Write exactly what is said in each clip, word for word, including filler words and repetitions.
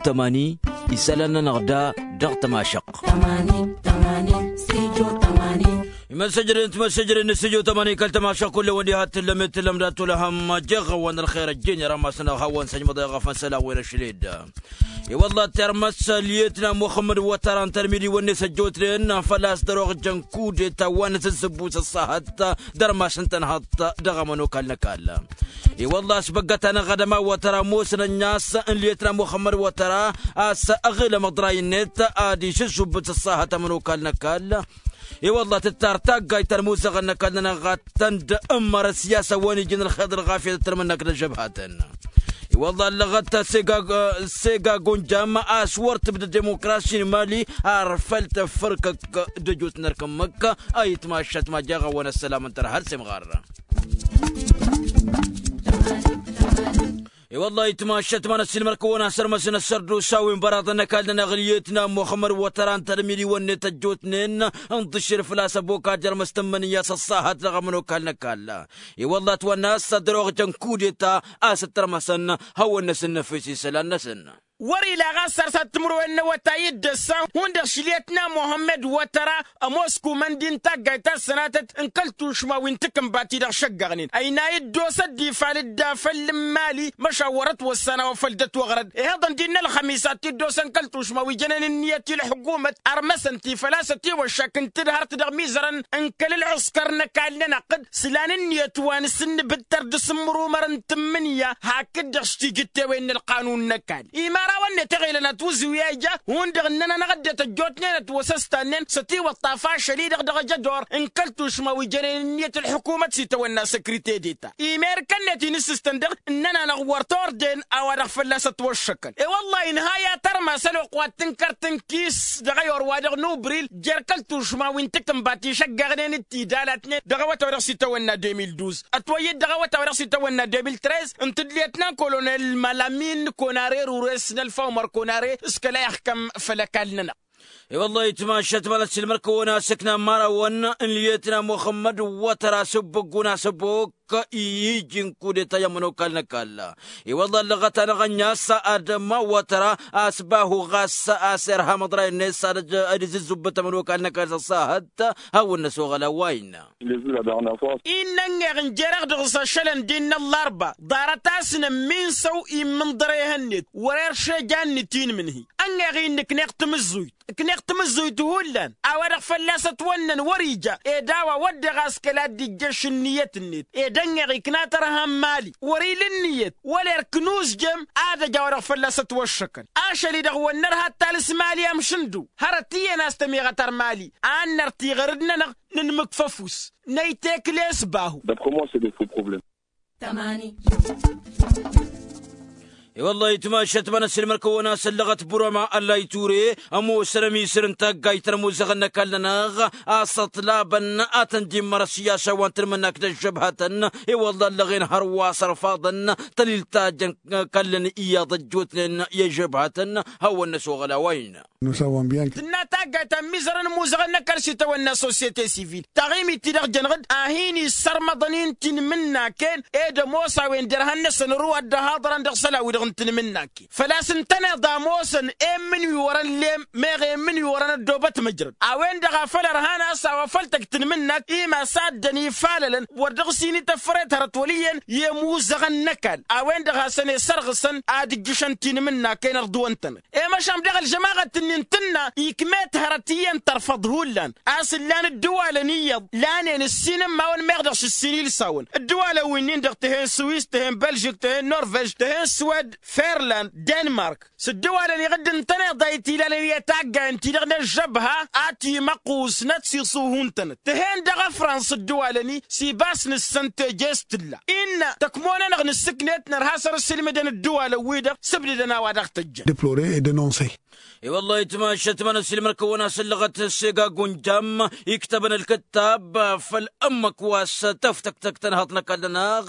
Tămani isălan-nănăɣ da dăɣ-tămašăq. Imăssăjrăd n-timăssăjrăd n-stujo tămani kăl-tămašăq kull-ewăn diha t-tǝllămet tǝllăm dat-olăhăm jeɣ-awăn ălxer ăjjeen i-rămas-nănăɣ hawăn-săjmăḍ eɣăfăn isălan wi n-ašled. I-wălla tirmăs lietna muxămmăd wătăra n-tărmidiwăn-net ăjjootnen făl-a-s dăr-oɣ jăn kudeta wa n-asǝzzǝbbus ăṣṣahăt dăr-mass n-tănhăḍt dăɣ-amănokal n-ăkall. I-wălla a-s băggăt-anăɣ ad-ămawătăr ămoosăn ănn-as n-lietna muxămmăd wătăra a-s ăɣilăm ăḍray-net ad-išǝššubbǝt ăṣṣahăt amănokal n-ăkall. I-wălla tǝttar taggayt ta n-imuzăɣăn n-ăkall-nănăɣ ad-tăn-dd-ǝmmărăs i-a-s a-wen ijăn ălxeḍ ălɣafyăt d-tărmǝnnak d-ăžžăbhatăn. I-wălla ăllăɣăt sega gunjam a-s wăr tǝbdăd demokrasi n-imali ar făl tăffărkăk d-ăjut n-erk ǝmmǝk. A itmašat ma jeɣ-awăn ăssălam n-tărha ălsemɣar. I-wălla itmašat ma n-ăssiilmăr-kăwăn a sărmăsăn ăssărdusa wi n-băraḍăn n-ăkall-nănăɣ lietna muxămmăd wătăra n-tărmidiwăn-net ăjjootnen ǝnḍǝššel făl-a-s ăbokad jer-măstămmăn i-a-s ăṣṣahăt dăɣ-amănokal n-ăkall. I-wălla ătwănna a-s ad-dăr-oɣ jăn kudeta a-s ǝttărmăsăn hawăn-năsǝnnăfes isălan-năsăn. Wăr-ila ɣas ar s-ad-timǝrwen n-awătay d-ăssa hundăɣ šliyăt n-amuhămmăd wătăra ămoos kumăndi n-taggayt ta s-sănatăt n-kăl-tušma wi n-takǝnbat-i-dăɣ šăggăɣnen ăynay dd-osăt d-ifal dd-afăl n-imali. Măšan wăr-ătwăssan a-wa făl dd-ătwăɣrăd ihăḍăn d-innă ălxămis ad-t-dd-osăn kăl-tušma wi jănen ǝnniyăt i-ălḥukumăt ărmăsăn-t-i făl-a-s ătiwăššak n-tǝdhărt dăɣ-imizărăn n-kăl-ălɣǝskăr n-ăkall-nănăɣ d-sǝlan ǝnniyăt wa n-asǝnnǝbǝttăr d-asǝmmărumăr n-tǝmmǝnǝya hakd-dăɣ s-tijǝttewen n-ălqanun n-ăkall. Imărawăn-net iɣilăn ătwǝzǝw i-a ija hundăɣ ǝnnăn-anăɣ ăddinăt ăjjootnen ătwăsăstannen s-ătiwăṭṭaf ašăl-i-dăɣ dăɣ-ejădor n-kăl-tušma wi jănen ǝnniyăt ălḥukumăt s-itawănna săkrite deta. Imerkăn-net inǝssǝstăn dăɣ-ǝnnăn-anăɣ wăr t-ordăyăn a-wa-dăɣ fălla-s ătwăššăkăn i-wăllah inha i-ad-tărmas ălwăqq wa t-tǝnkăr tǝnkis dăɣ-ayor-wa-dăɣ n-ubril jer-kăl-tušma wi n-takǝnbat išăggăɣnen d-tidalatnen dăɣ-awătay wa dăɣ-s itawănna deux mille douze ătwăyyăd dăɣ-awătay wa dăɣ-s itawănna deux mille treize ǝnta d-lietnan kolonel malamin konare rures n-ălfa umăr konare s-kăla ixkăm făll-ăkall-nănăɣ. I-wăllah itmašat ma n-ăssiilmăr-kăwăn a-s ǝkna n-imărawăn n-lietna muxămmăd wătăr a-s ǝbbǝggun a-s ăbok i-iji n-kudeta i-ămănokal n-ăkall. I-wăllah ăllăɣăt-anăɣ ănn'-as ad-ămawătăra a-s bahu ɣas a-s irham ăḍray-net s-ad-izǝzzubbăt ămănokal n-ăkall s-ăṣṣahăt. Hawăn-năsoɣăl a-wa innă. Innă ănn-eɣ n-jer-eɣ dăɣ-s ašălăn d-innă ăllarba ḍarăt-asăn ămminsăw immǝnḍăr ehăn-net wăr-erš eja ǝnnǝt-in imǝnhǝy. Ănn-eɣ-innă ǝkneɣ tamǝzzuyt ǝkneɣ tamǝzzuyt hullan a-wa-dăɣ fălla-s ătwănnăn wăr-ija ed a-wa wădden ɣas kăla dd-ijjăš ǝnniyăt-net ed ănn-eɣ ikna tărha n-imali wăr-ila ǝnniyăt wăla erk n-uzjem ad-ăj a-wa-dăɣ fălla-s ătwăššăkăn. Ašăl-i-dăɣ wăr nărha ad-talǝs imali amšǝndǝw hărăt iyyăn a-s tămiɣăt ar imali ad-năr tiɣăr-dd-nănăɣ nǝnmǝkfăf-us năytekles bahu. I-wăllah itmašat ma n-ăssiilmăr-kăwăn a-s ăllăɣăt burăma ăllay ture ămoosăn ămisăr n-taggayt ta n-ămuzăɣăn n-ăkall-nănăɣ a-s ăṭṭlabăn ad-tăn-dd-immărăs i-ašăwăn tǝnmǝnnak d-ăžžăbhătăn. I-wăllah ăllăɣen hărwa s-ărfaḍăn tălil ta jăn kăllăn iyyăḍ ăjjootnen i-ăžžăbhătăn. Hawăn-năsoɣăl a-wa innă. Tǝnna taggayt ta n-imizărăn ămuzăɣăn n-ăkall s-itawănna sosyete sivil taɣimit-ti-dăɣ jănăɣ-dd a hin-issărmăḍăn-in tinmǝnnaken ed ămoos a-wen derhan-năsăn ărwa dd-ăhaḍărăn dăɣ-isălan-wi-dăɣ n-tinmǝnnaken făl-a-s ǝntăneḍ a ămoosăn i-imǝnwi wărăn lem meɣ i-imǝnwi wărăn ăddoobăt măjrăd a-wen-dăɣ a făl ărhan a-s a-wa făl tăgg tinmǝnnak imass a ăddăn ifalălăn wăr dăɣ-s inităffăret hărăt wăl' iyyăn i-ămuzăɣăn n-ăkall a-wen-dăɣ hasăn-e-sărɣǝsăn ad-ǝjjǝšăn tinmǝnnaken ărḍǝwăn-tănăt. I-măšan dăɣ-ălžămaɣăt-ǝnnin tǝnna ikm'-et hărăt iyyăn tărfăḍ hullan a-s ǝllan ǝddǝwalăn iyyăḍ lanen ǝssin ǝmmawăn meɣ dăɣ-s ǝssin ilsawăn ǝddǝwalăn wi-nin-dăɣ tǝhen swis tǝhen bălžik tǝhen norvej tǝhen swed ferland denmark s-ǝddǝwalăn iɣǝdd ǝntăneḍ a itilalăn i-taggayăn-ti-dăɣ n-ăžžăbha a timăqqusnăt s-iṣuhu n-tănăt tǝhen dăɣ-ăfrans ǝddǝwalăn-i s-ibas n-ǝssăn teje s-tǝlla innă tăkmo-nănăɣ nǝssǝknet nărha săr-ǝssǝlmǝdăn ǝddǝwalăn-wi-dăɣ s-ǝbdǝdăn a-wa dăɣ-tăjjăn. Deplorer ed enonse. I-wăllah itmašat ma n-ăssiilmăr-kăwăn a-s ăllăɣăt s-ega gunjam iktăbăn ălkǝttab făll-ǝmmǝk wa s-tăftăktăk tănhăḍt n-ăkall-nănăɣ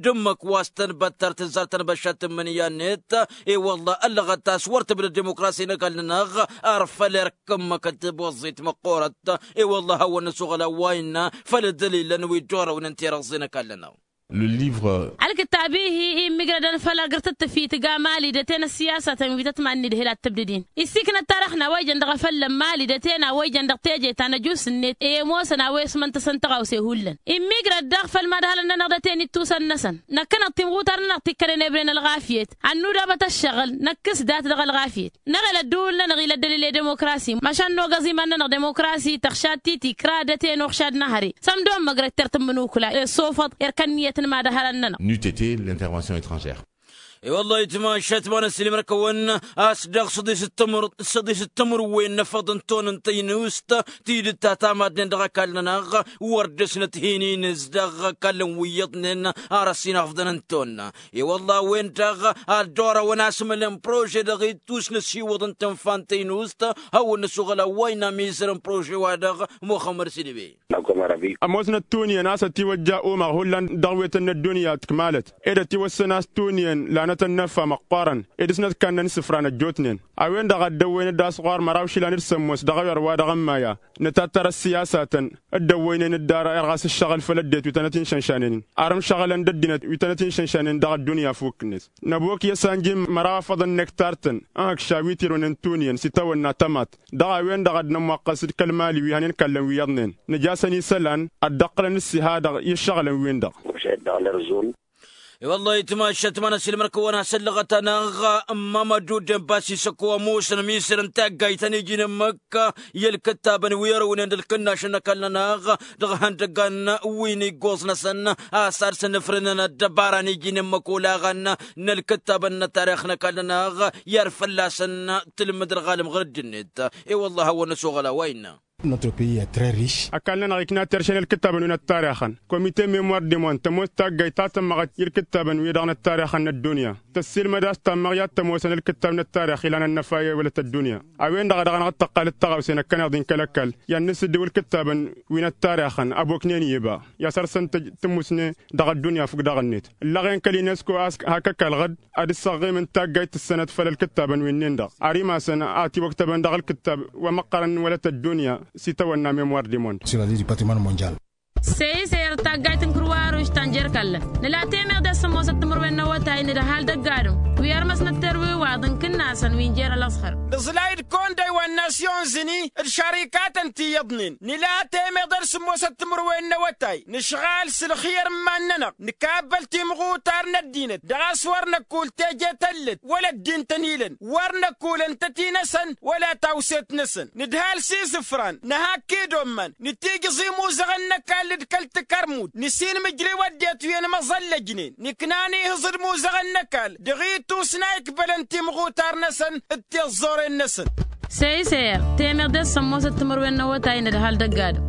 d-ǝmmǝk wa s-tănbăttăr tǝzzar tănbăššat tǝmmǝnǝya-net. I-wăllah ăllăɣăt a-s wăr tǝbdăd dimukrasi n-ăkall-nănăɣ ar făl erk ǝmmǝk d-tiboẓẓit măqqoorăt. I-wăllah hawăn-năsoɣăl a-wa innă făll-ăddălilăn wi dd-orăwnen tirăẓẓe n-ăkall-nănăɣ. Ălkǝttab-i-hi immǝjrădăn făll-agǝrtǝttǝf itǝgg amali d-ăten ăssiyasatăn wi tăt-manned hel ad-tǝbdǝd-in issiknăt tarăxna wa ijăn dăɣ-efăllăn mali d-ăten a wa ijăn dăɣ-teje ta n-ăjus-net i-ămoosăn a-wa ismăn-tăsăn tăɣawse hullan immǝjrăd daɣ făll-imadhălăn-nănăɣ d-ăten ittusăn-năsăn. Năkkăneḍ timɣutar-nănăɣ tikkănen ebren ălɣafyăt ad-nudabăt ăššăɣǝl năkkǝs dat-dăɣ ălɣafyăt. Năɣel ădduul-nănăɣ ila ăddălil i-demokrasi măšan nogăẓ iman-nănăɣ demokrasi tăɣšad titi kra d-ăten uɣšad n-ehăre. S-ămdon măgrăt ter tǝmmǝnukla i-ăssofăḍ erk ănniyăt n-imadhărăn-nănăɣ. N'eût été l'intervention étrangère. I-wăllah itmašat ma n-ăssiilmăr-kăwăn a-s dăɣ-săḍis d-timǝrwen n-efăḍ n-ton n-tăynust tidǝt ta tamadnen dăɣ-ăkall-nănăɣ wăr dăr-snăt hin-inǝz dăɣ-ăkallăn wi iyyăḍnen. Ar ăssinafḍăn n-ton i-wălla a-wen-dăɣ ad-dd-orăwăn asmǝlăn prože dăɣ-ittus n-ăsiwăḍ n-tǝnfa n-tăynust. Hawăn-năsoɣăl a-wa innă ămizăr n-prože-wa-dăɣ muxămmăd s-idǝbe. Ămoosnăt tunǝyăn a-s ătiwăjja umăɣ hullan dăɣ-wetăn n-ăddunya tikmalăt ed ătiwăssăn a-s tunǝyăn lanătăn n-effa măqqoorăn ed s-nătkannăn isǝfran ăjjootnen. A-wen-dăɣ a dd-ăwwăynăt d-asɣur măraw išilan d-sămmos dăɣ-a-wi ărwa dăɣ-ămmaya nǝtattăr ăssiyasatăn dd-ăwwăynen dd-ara irɣas ǝššăɣǝl făll-ăddinăt wi tănăt-in-išănšanen-in. Arǝm šăɣǝlăn d-ăddinăt wi tănăt-in-išănšanen dăɣ-ăddunya fukk-net. Năbok i-ăsanjim măraw afăḍăn n-ektar-tăn n-hăkša wi tirǝwnen tunǝyăn s-itawănna tămaḍt. Dăɣ-a-wen-dăɣ ad-nămwaqqăs d-kăl-mali wi hanen kallăn wi iyyăḍnen nǝj'-asăn isălan ad-dd-ăqqǝlăn ǝssiha dăɣ-i ǝššăɣǝlăn-win-dăɣ. I-wălla-hi tǝmašat ma n-ăsilmăr-kăwăn a-s ăllăɣăt-anăɣ ămmamădu d-ănbas isăko ămoosăn ămisăr n-taggayt ta n-iji n-ămmăk. I-ălkǝttabăn wi ărwǝnen d-ǝlkǝnnašăn n-ăkall-nănăɣ dăɣ-ihăndăggan wi n-iggoẓ-năsăn a-s ad-săn-ǝfrǝnăn ăddăbara n-iji n-ămmăk olaɣăn n-ălkǝttabăn n-ăttarix n-ăkall-nănăɣ i-ad-fălla-săn tǝlmǝd ălɣalăm ɣur-dd-net. I-wălla-hi a hawăn-năsoɣăl a-wa innă. Ăkall-nănăɣ ikna terše n-ălkǝttabăn wi n-ăttarixăn komite memoir demon tămoos taggayt ta tămmăɣăt i-ălkǝttabăn wi-dăɣ n-ăttarixăn n-ăddunya tăssiilmăd a-s tammăɣ i-ad-tămoosăn ălkǝttab n-ăttarix ilan ănnăfay i-wălăt ăddunya. A-wen-dăɣ a dăɣ-năɣ dd-tăqqal d-taɣawse năkkăneḍ-in kăl-ăkall i-ad-nǝsǝddǝw ǝlkǝttabăn wi n-ăttarixăn ăboknen iba i-ad-săr-săn tǝj tǝmmusne dăɣ-ăddunya fukk daɣ-net. Ǝllăɣen kăl-inesko a-s hak ăkall ɣǝd ad-ǝssăɣɣimǝn taggayt tǝssănăt făll-ălkǝttabăn wi-nin-dăɣ ar imasăn a tiwăktăbăn dăɣ-ălkǝttab wa măqqărăn n-wălăt ăddunya s-itawănna memoir demond. Săy-i săy ert taggayt n-kǝrwaruš ta n-jer-kăllăn nǝla temeḍe s-sǝmmosăt timǝrwen n-awătay n-dd-ăhalǝd ăgg-adǝm wi ărmăsnăt terwiwaḍ n-kǝnnasăn wi n-jer-ălăẓhăr. D-aẓlayǝd kondăy wa n-nasyon zǝni d-šărikatăn ti iyyăḍnen nǝla temeḍe d-sǝmmosăt timǝrwen n-awătay nǝšɣal s-ǝlxǝyăr n-iman-nănăɣ nǝkabbăl timɣutar n-ăddinăt dăɣ-a-s wăr năkul teje tăllăt wăla ăddin tăn-ilăn wăr năkul ǝntăti-năsăn wăla tawset-năsăn nǝdhal s-isǝfran nǝhak idomman nǝtijǝẓ imuzăɣăn n-ăkall d-kăl-takărmut nǝsinmǝjrǝw ăddinăt wi ănmăẓăllăjnen nǝknan ihǝẓ d-imuzăɣăn n-ăkall dăɣ-itus n-a ikbălăn timɣutar-năsăn d-tiẓẓoren-năsăn. Săy-i săy-i temeḍe s-sămmosăt timǝrwen n-awătay n-ădhal d-ăgg-adǝm.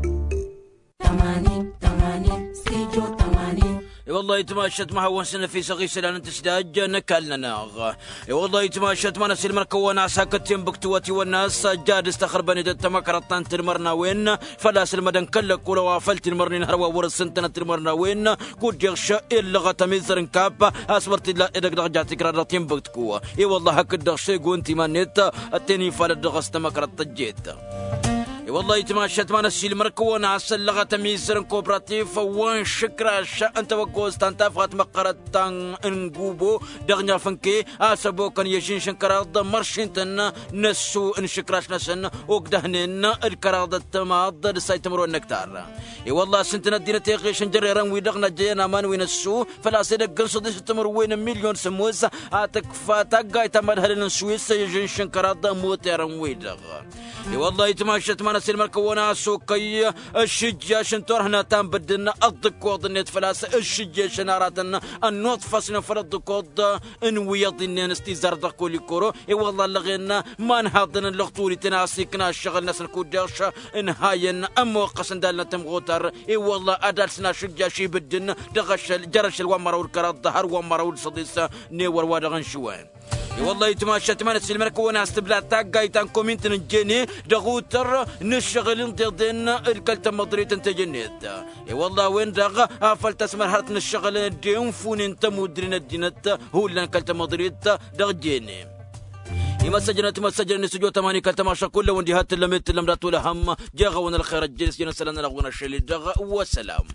I-wăllah itmašat ma hawăn-săn ăfisăɣ isălan n-tǝsdaj n-ăkall-nănăɣ. I-wăllah itmašat ma n-ăsilmăr-kăwăn a-s hakd tinbǝktǝwăt iwănna a-s jad s-tăxărbănet d-tamăkrăḍt ta n-tinmărnawen făl-a-s ǝlmădăn kăl-lăkkol a-wa făll-tinmărnen hărwa wăr-ǝssǝntănăt tinmărnawen. Kud-deɣ š-illăɣăt ămizăr n-kap a-s wăr t-illa edăgg dăɣ-ja tikrad dăɣ-tinbǝktǝw. I-wăllah hakd-dăɣ šegǝw n-timan-net ătten ifalăt dăɣ-s tamăkrăḍt tăjjet. I-wăllah itmašat ma n-ăsilmăr-kăwăn a-s ăllăɣăt ămizăr n-kopratif wa n-išǝkraš n-tawăggost ta n-tafɣat măqqărăt ta n-gubo dăɣ-nǝfǝnke a-s ăbokăn i-ažǝnš n-kăraḍ măršintăn n-ăssu n-išǝkraš-năsăn. Ogdăhnen d-kăraḍ d-timaḍ d-ǝssay timǝrwen n-ăktar. I-wăllah s-ǝntǝn ăddinăt iɣešăn jărrerăn-wi-dăɣ n-ăjjăyăn aman wi n-ăssu făl-a-s edăgg n-săḍis d-timǝrwen n-milyon sǝmmos a tǝkfa taggayt ta n-imădhălăn n-swis i-ažǝnš n-kăraḍ moterăn-wi-dăɣ. I-wăllah itmašat ma n-ăsilmăr-kăwăn a-s okăy ǝššǝjjaš n-turhǝna ta n-bǝddǝn ăḍḍǝkkoḍ-net făl-a-s ǝššǝjješăn aratăn ănnuḍfăsnen făll-ăḍḍǝkkoḍ n-wi iyyăḍ-innen s-tizar dăɣ-kolikoro. I-wăllah ăllăɣen ma n-haḍăn n-lăɣturiten a-s ikna ǝššăɣǝl-năsăn kud-deɣ š-ǝnhayăn ămmoqqăsăn d-alnăt timɣutar. I-wăllah ad-alsǝn ašǝjjaš ibǝddǝn dăɣ-ašăl jer-ašăl wa n-măraw d-kăraḍ har wa n-măraw d-săḍis n-ewăr wa dăɣ-n šǝwăn. I-wăllah itmašat ma n-ăsilmăr-kăwăn a-s tǝbla taggayt ta n-komint n-ǝnjene dăɣ-utăr n-ǝššăɣǝl n-tiḍen d-kăl-tamăḍrit n-teje-net. I-wăllah a-wen-dăɣ afăl tasmărhărt n-ǝššăɣǝl d-enfunen tămudre n-ăddinăt hullan kăl-tamăḍrit dăɣ-jene. Imăssăjrăn timăssăjrăn n-istudyo tămani kăl-tămašăk kull-awăn diha t-tǝllăm i-t-tǝllăm dat-wăla ham jeɣ-awăn ălxer ăjjeen s-jăn ăssălan-nănăɣ wăn ašăl-i-dăɣ. Wăssălam.